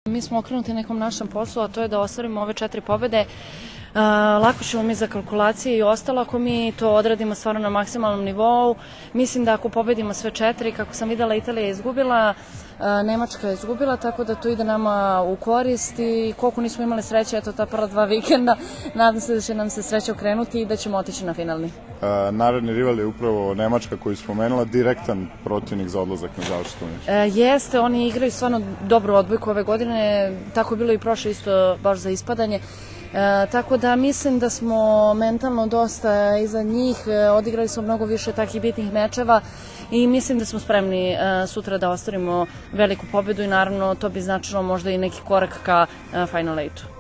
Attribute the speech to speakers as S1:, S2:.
S1: Mi smo okrenuti nekom našem poslu, a to je da ostvarimo ove 4 pobede. Lako ćemo mi za kalkulacije i ostalo ako mi to odradimo stvarno na maksimalnom nivou. Mislim da ako pobedimo sve 4, kako sam videla, Italija je izgubila, Nemačka je izgubila, tako da to ide nama u korist i koliko nismo imali sreće, eto ta prva 2 vikenda, nadam se da će nam se sreća okrenuti i da ćemo otići na finalni.
S2: Naredni rival je upravo Nemačka koju je spomenula, direktan protivnik za odlazak na završno takmičenje.
S1: Jeste, oni igraju stvarno dobru odbojku ove godine, tako je bilo i prošle isto baš za ispadanje. Tako da mislim da smo mentalno dosta iza njih, odigrali smo mnogo više takih bitnih mečeva i mislim da smo spremni sutra da ostvarimo veliku pobedu i naravno to bi značilo možda i neki korak ka Final 8-u.